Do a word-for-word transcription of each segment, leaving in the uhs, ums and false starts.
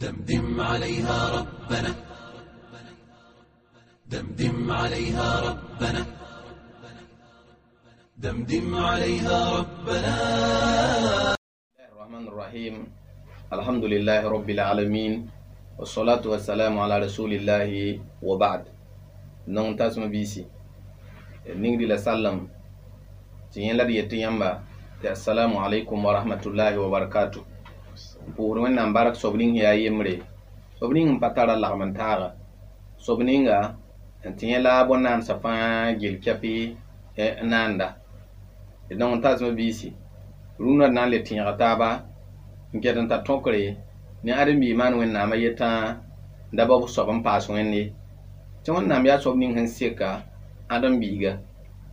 دمدم عليها ربنا دمدم عليها ربنا دمدم عليها ربنا. الرحمن الرحيم. الحمد لله رب العالمين والصلاة والسلام على رسول الله وبعد. نون تاسم بيسي نيندي لا سلام تيين لا دي يamba. السلام عليكم ورحمة الله وبركاته. Pʋʋsd Wẽnnaam bark soab ning yaa yembre, soab ning n pa tara lagm n taaga, soab ninga n tɩ yẽ la bõn-naandsã fãa gel kɛpɩ n naanda. D nong n tasmã biisi rũnã d na n le tẽega taaba n ket n ta tõkre ne ãdem-biig maan Wẽnnaamã yetã da ba soab n paas Wẽnde tɩ Wẽnnaam yaa soab ning sẽn seka ãdem-biiga.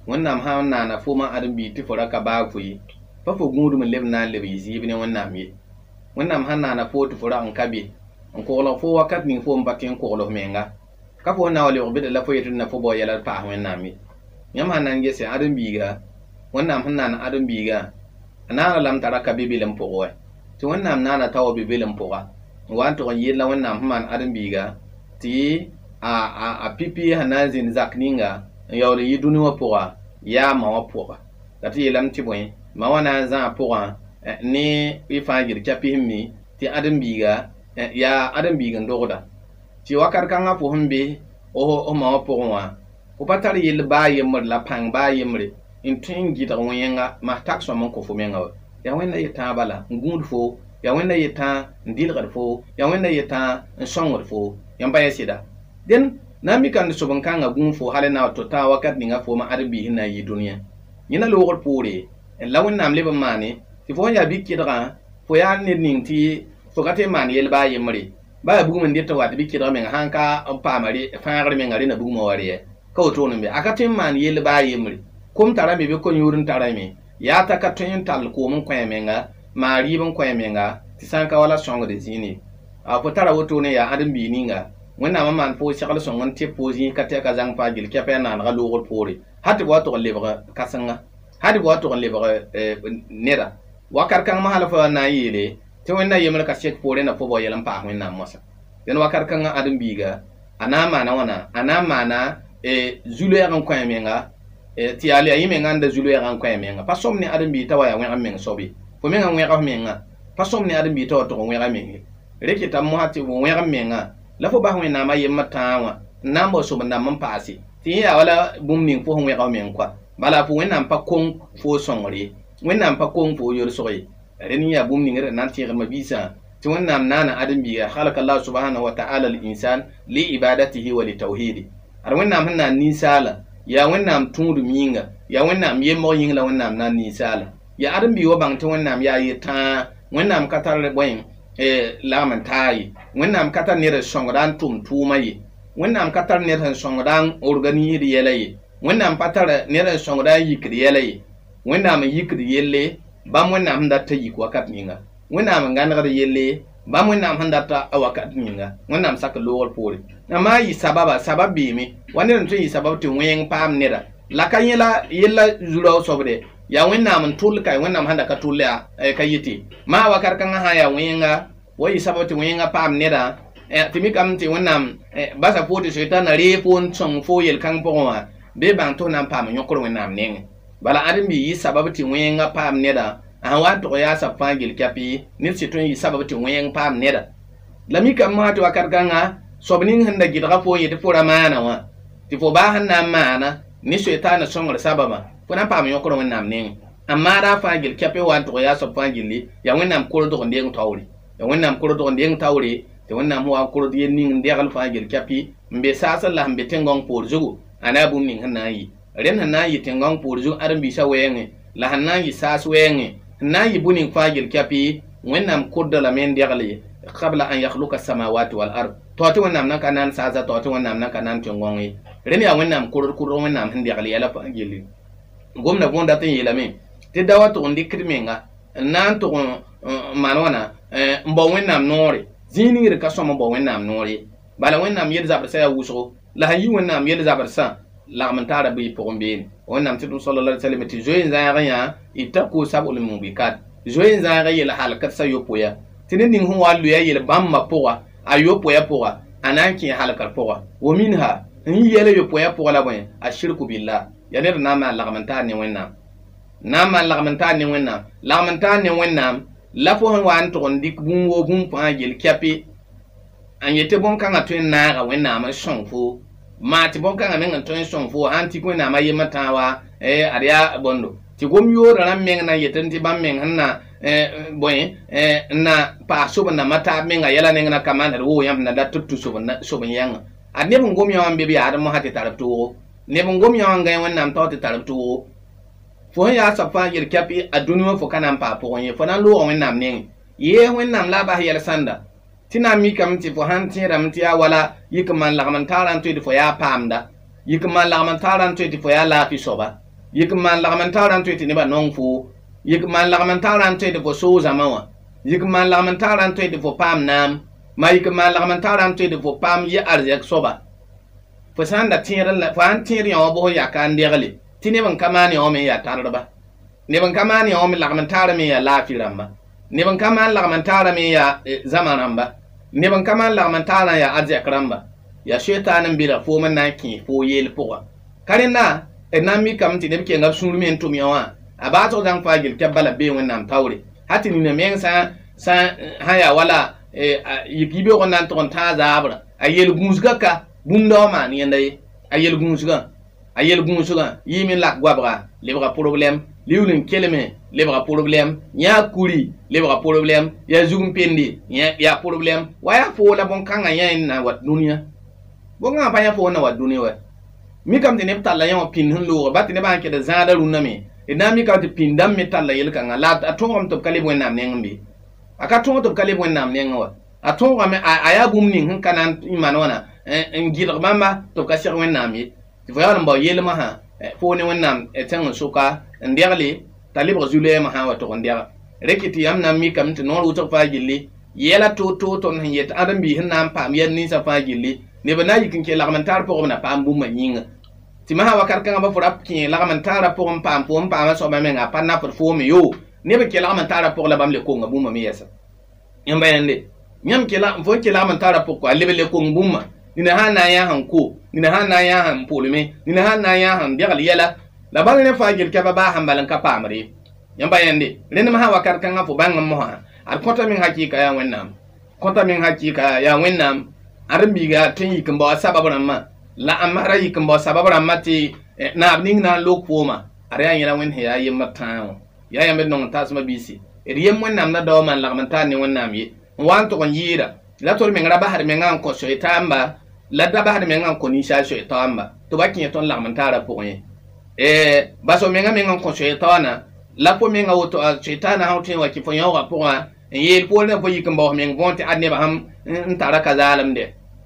Wẽnnaam sã n naana foomã ãdem-biig tɩ fo ra ka baag fo ye, pa fo gũudum n leb n na n leb yɩ zɩɩb ne Wẽnnaam ye. Wẽnnaam sãn naana fo tɩ fo rag n ka be n koglg fo wakat ning fo n pa tẽ n kogl f menga, ka fo na wa lebg bɩd la fo yetɩ na fo bao yɛla d paas Wẽnnaam ye. Yãmb sãn na n gese ãdem-biiga, Wẽnnaam sẽn naan ãdem-biigã a naana lame t'a ra ka be belem pʋgẽ wɛ, tɩ Wẽnnaam naana t'a wa be belem pʋga n wa n tʋg n yeel la Wẽnnaam sẽn maan ãdem-biiga tɩ a a pipi sẽn na n zĩnd zak ninga n yaool n yi dũni wã pʋga yaa ma wã pʋga. La tɩ yeelame tɩ bõe ma wã na n zãa pʋgã ne y fãa gil kɛpɩ sẽn mi tɩ ãdem-biiga yaa ãdem-biig n dogda tɩ wakat kãngã fo sẽn be f ma wã pʋgẽ wã fo pa tar yell baa yembre la pãng baa yembre n tõe n gɩdg wẽnga mas tak sõm n kõ fo menga wa. Yaa Wẽnda yetã bala n gũud fo, yaa Wẽnda yetã n dɩlgd fo, yaa Wẽnda yetã n sõngd fo, yãmb pa yẽ sɩda. Dẽn na n mikame sob n kãngã gũud fo hal n na wa tɩ tã wakat ninga foomã ãdem-biis sẽn na n yɩ dũniyã. Yẽna loogr poore la Wẽnnaam leb n maane tɩ fo sẽn yaa bɩ-kɩdgã fo yaa ned ning tɩ fo ka tõe n maan yell baa yembre baa yaa bugum n dɩt n wa tɩ bɩ-kɩdg menga sãn ka n paama fãagr menga rẽnda bugumã wa rɩ ka wotone n be a ka tõe n maan yell baa yembre. Kom tarame bɩ ko-yũud n tarame yaa t'a ka tõe n tall koom n kõ a menga maa rɩɩb n kõ a menga tɩ sã n ka wala sõngd zĩine. A fo tara wotone yaa ãdem-biig ninga Wẽnnaam n maan fo segl sõng n tɩ fo zĩig ka tɛka zãng fãa gil kɛpɛ a naanega loogr poore hal tɩ b wa tʋg n lebg kãsenga, hal tɩ b wa tʋg n lebg neda wakat kãng hal fo na n yeele tɩ Wẽnna yembre ka sek poore na fo bao yɛl n paas Wẽnnaam moasã. Dẽn wakat kãngã ãdem-biiga a na n maana wãna a na n maana zu-loɛɛg n kõ a menga tɩ yaa le yaa yẽ menga n da zu-loɛɛgã n kõ a menga. Pa sõm ne ãdem-biig t'a wa yaa wẽg n meng soab ye, fo menga wẽg f menga pa sõm ne ãdem-biig t'a wa tʋg n wẽg a meng ye. Re kɩtame mosã tɩ wẽg n menga la fo bas Wẽnnaamã yembr tãag wã n na n bao sob n dãmb n paase tɩ yẽ yaa wala bũmb ning fo sẽn wẽg f meng koa. Bala fo Wẽnnaam pa kong fo sõngr ye, Wẽnnaam pa kong fo yolsg ye. Rẽnd yaa bũmb ning d na n tẽegdmã biisã tɩ Wẽnnaam naana ãdem-biiga halaka Allah subhanahu wa ta'ala al-insan li ibadatihi wa li tawhidi. Ad Wẽnnaam sẽn naan ninsaala yaa Wẽnnaam tũudum yĩnga, yaa Wẽnnaam yembg yĩng la Wẽnnaam naan ninsaala. Yaa ãdem-biig wa bãng tɩ Wẽnnaam yaa yetãa, Wẽnnaam ka tar bõe lagm n taa ye, Wẽnnaam ka tar ned n sõngda n tʋm tʋʋmã ye, Wẽnnaam ka tar ned sẽn sõngda n organisd yɛla ye, Wẽnnaam pa tar ned n sõngda n yikd yɛla ye. Wẽnnaam n yikd yelle bãmb Wẽnnaam sẽn dat t'a yik wakat ninga, Wẽnnaam n gãnegd yelle bãmb Wẽnnaam sẽn dat a wakat ninga. Wẽnnaam sak loogr poore amaa yɩ sababa, sabab beeme wa ned n tõe n yɩ sabab tɩ wẽng paam neda la ka yẽ la yella zu-rao soabde yaa Wẽnnaam n tʋl ka Wẽnnaam sẽn da ka tʋl yaa ka yete maa wakat kãngã sã yaa wẽnga wa yɩ sabab tɩ wẽnga paam neda tɩ mikame tɩ Wẽnnaam basa fo tɩ soetãna ree fo n sõng fo yel-kãng pʋgẽ wã bee bãng tɩ f na n paam yõkr Wẽnnaam nengẽ. Bala ãdem-biig yɩ sabab tɩ wẽnga paam neda a sẽn wa n tʋg yaa sab fãa gel kɛpɩ ned sɩ tõe n yɩ sabab tɩ wẽng paam neda. La mikame mosã tɩ wakat kãngã soab ning sẽn da gɩdga fo n yetɩ fo ra maana wã tɩ fo baa sẽn na n maana ne soetaana sõngr sababã fo na n paam yõkr Wẽnnaam nengẽ. A maada fãa gel kɛpɩ wa n tʋg yaa soab fãa gilli yaa Wẽnnaam kordg n deng taoore, yaa Wẽnnaam kordg n deng taoore tɩ Wẽnnaam sẽn wa n kord yel ning n degl fãa gel kɛpɩ n be saasẽ la sẽn be tẽn-gãong poor zugu a na bũmb ning sẽn na n yɩ. Rẽnd sẽn na n yɩ tẽn-gãong poor zug ãdem-biisã wɛɛngẽ la sẽn na n yɩ saas wɛɛngẽ sẽn na n yɩ bũ-ning fãa gel kɛpɩ Wẽnnaam kʋrda lame n degle qabla an yakhluka samawati wal ard tɩ tɩ Wẽnnaam nan ka naan saasa tɩ tɩ Wẽnnaam nan ka naan tẽn-gãong ye. Rẽnd yaa Wẽnnaam kʋrd kʋrd Wẽnnaam sẽn degl yɛla fãa gilli. Gomda võor dat n yeelame tɩ da wa tʋg n dɩkd menga n na n tʋg n maan wãna n bao Wẽnnaam noore zĩig ning d ka sõm n bao Wẽnnaam noore. Bala Wẽnnaam yel zabrsã yaa wʋsgo la sẽn yi Wẽnnaam yel zabrsã lagm n taara bɩ pʋgẽ beene. Wẽnnaam tɩ sallallahu alaihi wasallam tɩ zoe n zãag yã ittaqu sab'ul mubikat zoe n zãag yel halkd sa yopoe ya. Tɩ ned ning sẽn wa n loe a yel bãmbã pʋga a yopoe pʋga a na n kẽ halkr pʋga wa minha n yi yɛla yopoe pʋga la bõe ashirku billah ya ned na n maan lagm n taar ne Wẽnnaam na n maan lagm n taar ne Wẽnnaam lagm n taar ne Wẽnnaam la fo sẽn wa n tʋg n dɩk bũmb woo bũmb fãa yel kɛpɩ n yetɩ bõn-kãngã tõe n naaga Wẽnnaam n sõng fo maa tɩ bõn-kãngã meng n tõe n sõng fo sã n tik Wẽnnaam a yembr tãa wa ad yaa bõndo tɩ gom yoodã rãmb meng na n yetɩ tɩ bãmb meng sẽn na bõe n na paas sob n nambã taab menga yɛla neng na ka maan d woo yãmb na dat tɩ b tũ sob n yãnga ad neb n gom yã wã n be b yaad mosã tɩ tar b toogo neb n gom yã wã n gãe Wẽnnaam tao tɩ tar b toogo fo sẽn yaa soab fãa yel kɛpɩ a dũni wã fo ka na n paa pʋgẽ ye fo na n loogã Wẽnnaam nengẽ yee Wẽnnaam la a bas yɛl sãnda tɩ na n mikame tɩ fo sãn tẽedame tɩ yaa wala yik n maan lagm n taarã n tõe tɩ fo yaa paamda yik n maan lagm n taarã n tõe tɩ fo yaa laafɩ soaba yik n maan lagm n taarã n tõe tɩ nebã nong fo yik n maan lagm n taarã n tõe tɩ fo soog zãma wã yik n maan lagm n taarã n tõe tɩ fo paam naam maa yik n maan lagm n taarã n tõe tɩ fo paam yɛ arzɛk soaba fo sã n da tẽed fo sãn tẽed yã wã bʋs yaka n degle tɩ neb n ka maan yã wã me n yaa tardba neb n ka maan yã wã me lagm n taarã me n yaa laafɩ rãmba neb n ka maan lagm n taarã me n yaa zãma rãmba neb n ka maan lagm n taarã n yaa arzɛk rãmba yaa soetaan n belg foom n na n kẽes foo yeel pʋga ka rẽnda d na n mikame tɩ neb kenga b sũur me n tʋm yã wã a baasg zãng faa gel kɛb bala bee Wẽnnaam taoore ha tɩ nina meng sã sã sã yaa wala yik yibeoog n na n tʋg n tãag zaabra a yel gũusgã ka bũmb da wã maan yẽnda ye a yel gũusgã a yel gũusgã yɩɩme n lak goabga lebga problɛm liuul n kelme lebga problɛm yã kuri lebga problɛm yaa zug n pende yaa problɛm wa yaa foo la bõn-kãngã yã n na wat dũniyã bõn-kãngã pa yã foo n na wat dũni wa mikame tɩ neb talla yã wã pĩnd sẽn looga ba tɩ nebã sãn kẽd zãada rũnnã me d na n mikame tɩ pĩnd dãmb me talla yel-kãngã la a tõogame tɩ b ka leb Wẽnnaam nengẽ be a ka tõog tɩ b ka leb Wẽnnaam nengẽ wa a tõogame a yaa bũmb ning sẽn ka na n maan wãna n gɩdg bãmba tɩ b ka seg Wẽnnaam ye tɩ fo yaool n bao yelmã sã foo ne Wẽnnaam tẽng n soka n degle t'a lebg zu-lɛɛmã sã n wa tʋg n dega reke tɩ yãmb na n mikame tɩ noor wʋsg fãa gilli yɛla toor-toor tõnd sẽn yet ãdem-biis sẽn na n paam yɛl ninsã fãa gilli neb n na n yik n kẽ lagm n taar pʋgẽ b na paam bũmba yĩnga tɩ masã wakat kãngã ba fo ra kẽ lagm n taarã pʋgẽ n paam fo n paamã soabã menga a pa nafd foome yoo neb n kẽ lagm n taarã pʋgẽ la bãmb le konga bũmba me yɛsa yãmba yãnde yãmb fo n kẽ lagm n taarã pʋg kɔ a leb le kong bũmba nina sãn na n yã sẽn ko nina sãn na n yã sẽn pʋlme nina sãn na n yã sẽn degl yɛla la bal ne fãa gel kɛba baa sẽn bal n ka paamd ye yãmba yãnde rẽnd masã wakat kãngã fo bãng n mosã ad kõta meng hakɩɩka yaa Wẽnnaam kõta meng hakɩɩka yaa Wẽnnaam ãdem-biiga tõe n yik n bao a sabab rãmbã la a masra yik n bao sabab rãmbã tɩ naab ning na n lok fooma ad yaa yẽla Wẽnd sẽn yaa yembr tãag wã yaa yãmb d nong n taasmã biisi d yem Wẽnnaam la daoã maan lagm n taar ne Wẽnnaam ye n wa n tʋg n yɩɩda la tʋd meng ra basd mengã n kõ soɩtaamba la da basd mengã n kõ ninsaal soɩtaamba tɩ ba kẽ tõnd lagm n taarã pʋgẽ ye bas f menga meng n kõ soɩtaana la fo menga woto soɩtaana sã tõe n wa kɩ fo yãoogã pʋgã n yeel poorẽ fo yik n baoos meng võor tɩ ad nebã sãn n tara ka zaalemde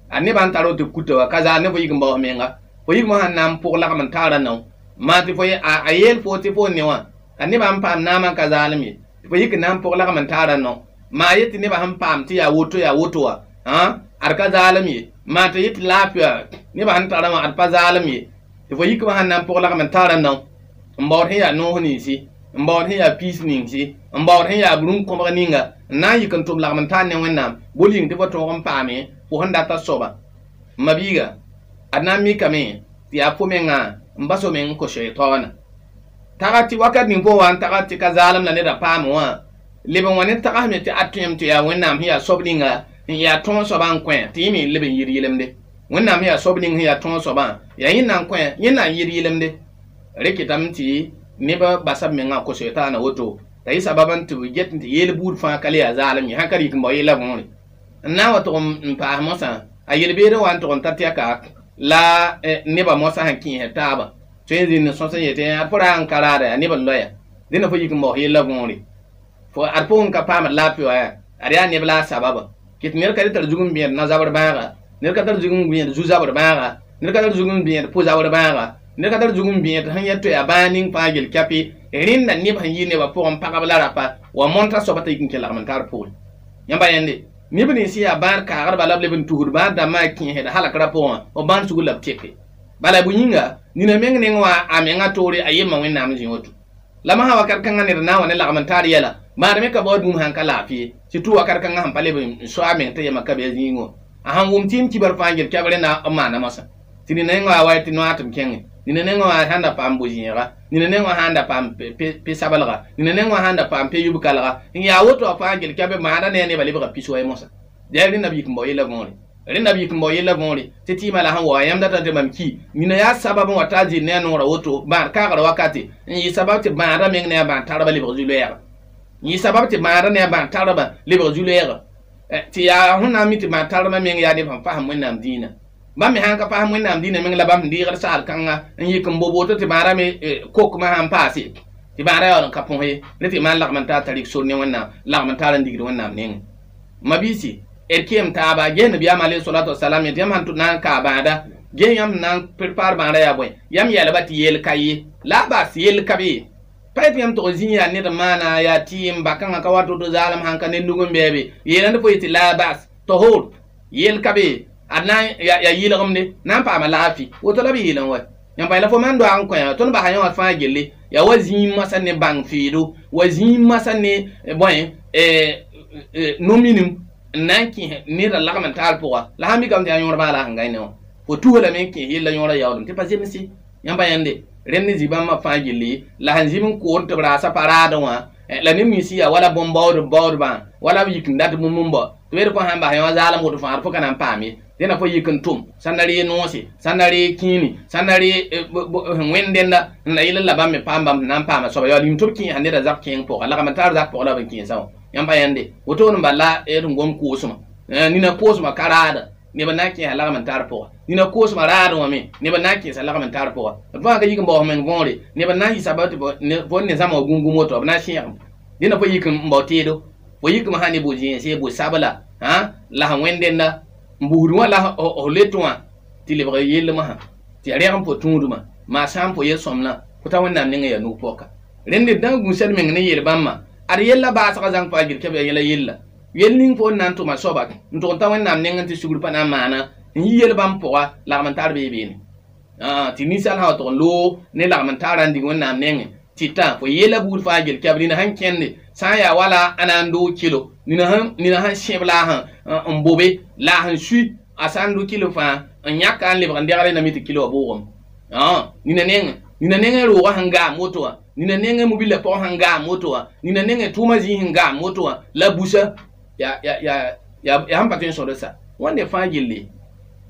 ad nebã n tar tɩ kuta wa ka zaal ne fo yik n baoos menga fo yik mosã n na n pʋg lagm n taarã nao maa tɩ fo a yeel fo tɩ fo ne wã a nebã n paam naamã n ka zaalem ye tɩ fo yik n na n pʋg lagm n taarã nao maa yet tɩ nebã sẽn paam tɩ yaa woto yaa woto wã ad ka zaalem ye maa tɩ yet laafɩa nebã sẽn tarã wã ad pa zaalem ye tɩ fo yikmã sãn na n pʋg lagm n taarã nao n baood sẽn yaa noos ninsi n baood sẽn yaa piis ninsi n baood sẽn yaa rũm-kõbg ninga n na n yik n tʋm lagm n taar ne Wẽnnaam bol yĩng tɩ fo tõog n paame fo sẽn data soaba m mabiiga ad na n mikame tɩ yaa fo mengã n bas f meng n kõ soɩtaoona taga tɩ wakat ning fo wa n taga tɩ ka zaalem la neda paame wã leb n wa ne tagsme tɩ ad tõem tɩ yaa Wẽnnaam sẽn yaa soab ninga n yaa tõog soabã n kõ tɩ yẽ me leb n yɩd yɩlemde Wẽnnaam sẽn yaa soab ning sẽn yaa tõog soabã yaa yẽnda n kõ yẽnda n yɩd yɩlemde reketame tɩ neb basa b mengã kõ soɩtaana woto t'a yɩ sabab n tɩ b get tɩ yeel buud fãa ka le yaa zaalem ye sãn ka rɩk n bao yella võore n na n wa tʋg n paas mosã a yel-beedẽ wa n tʋg n ta tɛka la nebã mosã sẽn kẽesd taaba tõe n zĩnd sõs n yetɩ ad fo ra n ka raada yaa neb n loya dẽnda fo yik n baoos yella võore fo ad pʋgẽ ka paamd laafɩ wa yaa ad yaa neb la a sababa kɩt ned ka le tar zug n bẽed na-zabr bãaga ned ka tar zug n bẽed zu-zabr bãaga ned ka tar zug n bẽed pʋ-zabr bãaga ned ka tar zug n bẽed sẽn yet tɩ yaa bãag ning fãa gel kɛpɩ rẽnda neb sẽn yɩ nebã pʋgẽ pagb la rapa wa mõntã soaba t'a yik n kẽ lagm n tar pʋgẽ yãmba yẽnde neb nins yaa bãad kaagdba la b leb n tusd bãad dãmbã a kẽesd halkrã pʋgẽ b bãad sugr la b teke bala bʋ yĩnga nina meng neng wã a menga toore a yemma Wẽnnaam zĩ woto la masã wakat kãngã ned na n wa ne lagm n taar yɛla maad me ka baood bũmb sãn ka laafɩ ye tɩ tʋ wakat kãngã sẽn pa leb n soa meng tɩ yema ka be zĩigẽ a sãn wʋm tɩ m kibar fãa gel kɛb rẽnda n maana moasã tɩ nina nengã wa wa tɩ noaatɩm kẽngẽ nina nengã wã sãn da paam bo-zẽega nina nengã wã sãn da paam pe-sablga nina nengã wã sãn da paam pe-yub-kalga n yaa woto a fãa gel kɛb maada ne a nebã lebga pis-wɛ moasã yaa rẽnda b yik n bao yella võore rẽnda b yik n bao yella võore tɩ tɩɩmã la sẽn wa yãmb data tɩ mam ki nina yaa sabab n wa t'a zɩ ne a noorã woto bãad kaagra wakate n yɩ sabab tɩ bãadã meng ne a bãad tarba lebg zu-loɛɛga n yɩ sabab tɩ bãadã ne a bãad tarba lebg zu-loɛɛga tɩ yaa sẽn na n mi tɩ bãad tarba meng yaa neb sẽn fasem wẽnnaam dĩinã bãmb me sãn ka fasem wẽnnaam dĩinã meng la bãmb sẽn deegd saal kãnga n yik n bo woto tɩ bãadã me kokmã sãn paase tɩ bãadã yaool n ka põs ye rẽ tɩ maan lagm n taa tarik sor ne wẽnnaam lagm n taar n digd wẽnnaam nengẽ mabiisi d kem taaba ges nabiyaam alayhi salatu wasalam yẽ tɩ yãmb sãn na n kaa bãada ges yãmb na n prepar bãada yaa bõe yãmb yɛlba tɩ yel ka ye la a bas yel ka be ye pa yetɩ yãmb tog zĩ yaa ned n maana yaa tɩɩm ba-kãngã ka wa to-to zaalem sãn ka ned nug n bɛɛbe yeelame fo yetɩ la a bas tahor yel ka be ad na yaa yɩlgemde na n paama laafɩ woto la b yeel n wa yãmb pa la fo maan doag n kõ tõnd basa yã wã fãa gelle yaa wa zĩig moasã ne bãng feedo wa zĩig moasã ne bõe no-minim n na n kẽes nedã lagm n taar pʋga la sãn mikame tɩ yaa yõor baa la sẽn gãe ne wã fo tusa lame n kẽes yella yõorã yaoolem tɩ pa zemse yãmba yãnde rẽnd ne zĩ-bãmbã fãa gilli la sẽn zĩm n kood tɩ b raasa pa raadẽ wã la neb nins yaa wala bõn-baood baoodbã wala b yik n dat bũmb n bao tɩ b fo sãn bas yã zaalem woto fãa fo ka na n paam ye dẽna fo yik n tʋm sãn na ree noose sãn na ree kĩini sãn na ree wẽnd dẽnda n la yɩl la bãmb me paam bãmb na n paama soaba yaa lim tɩ b kẽesa nedã zak kẽeng pʋga lagm n taar zak pʋga la b n kẽesã wã yãmb pa yãnde wotone bala d n gom koosmã nina koosmã ka raada neb n na n kẽesa lagm n tar pʋga nina koosmã raadẽ wã me neb n na n kẽesa lagm n tar pʋga d fãa ka yik n baoos meng võore neb n na n yɩ sabab tɩ fo ne zãma wã gũngum woto b na n sẽegem dẽnda fo yik n bao teedo fo yikme sã ne bo-zẽense bo-sabla la sẽn wẽnd dẽnda n busd wã la f let wã tɩ lebg yellmã tɩ ya rẽg n fo tũudmã maa sã n fo yel-sõmdã fo ta wẽnnaam nengẽ yaa nug-pɔka rẽnd d na n gũusd meng ne yel-bãmbã ad yella baasgã zãng fãa gil kɛb yaa yɛla yella yel ning fo n na n tʋma soaba n tʋg n ta wẽnnaam nengẽ tɩ sugr pa na n maana n yi yel-bãmb pʋga lagm n tar bee beene tɩ ninsaal sã wa tʋg n loog ne lagm n taara n dig wẽnnaam nengẽ tɩ tã fo yella buud fãa gel kɛb nina sẽn kẽnde sã n yaa wala a na n doog kilo nina sẽn sẽb la a sẽn bobe la a sẽn sui a sã n do kilo fãa n yãka n lebg n degre na mi tɩ kilo wã bʋʋgem nina nengẽ nina nengẽ roogã sẽn gaam woto wã nina nengẽ mobila pʋgẽ sẽn gaam woto wã nina nengẽ tʋʋmã zĩig sẽn gaam woto wã la busa ya ya ya ya sẽn pa tõe n sõd sa wãnde fãa gilli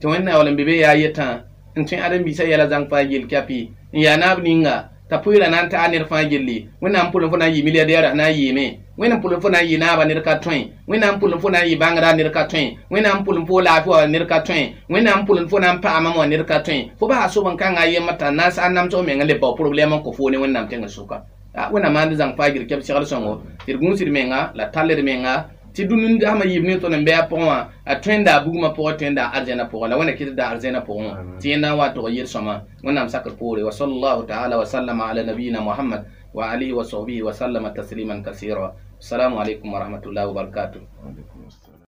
tɩ wẽnnaam yaool n be be yaa yetã n tõe ãdem-biisã yɛla zãng fãa gill kɛpɩ n yaa naab ninga t'a pʋɩɩrã na n taa ned fãa gilli wẽnnaam pʋlẽ fo na n yɩ milliardaire na n yɩɩme wẽnnaam pʋlẽ fo na n yɩ naabã ned ka tõe wẽnnaam pʋlẽ fo na n yɩ bãngrã ned ka tõe wẽnnaam pʋlẽ fo laafɩ wã ned ka tõe wẽnnaam pʋlẽ fo na n paamame wã ned ka tõe fo basa sob n kãngã yembr t'a na n sa n namsg meng n le bao problɛm n kõ foo ne wẽnnaam tẽngã sʋka wẽnnaam maand zãng fãa gil kɛb segl sõngo tɩ d gũusd menga la tall d menga tɩ dũni dasmã yiib ne tõnd n bɩ a pʋgẽ wã a tõenda a bugmã pʋgẽ tõenda a arzɛnã pʋgẽ la wẽnna kɩt da arzɛnã pʋgẽ wã tɩ yẽ na n wa tog yel-sõma wẽnnaam sakr poore wa sallallahu taala wa sallama ala nabiyina muhammad wa alihi wa sahbihi wa sallama tasliman kasira assalamu alaikum wa rahmatullahi wa barakatuh. Wa alaikum assalam.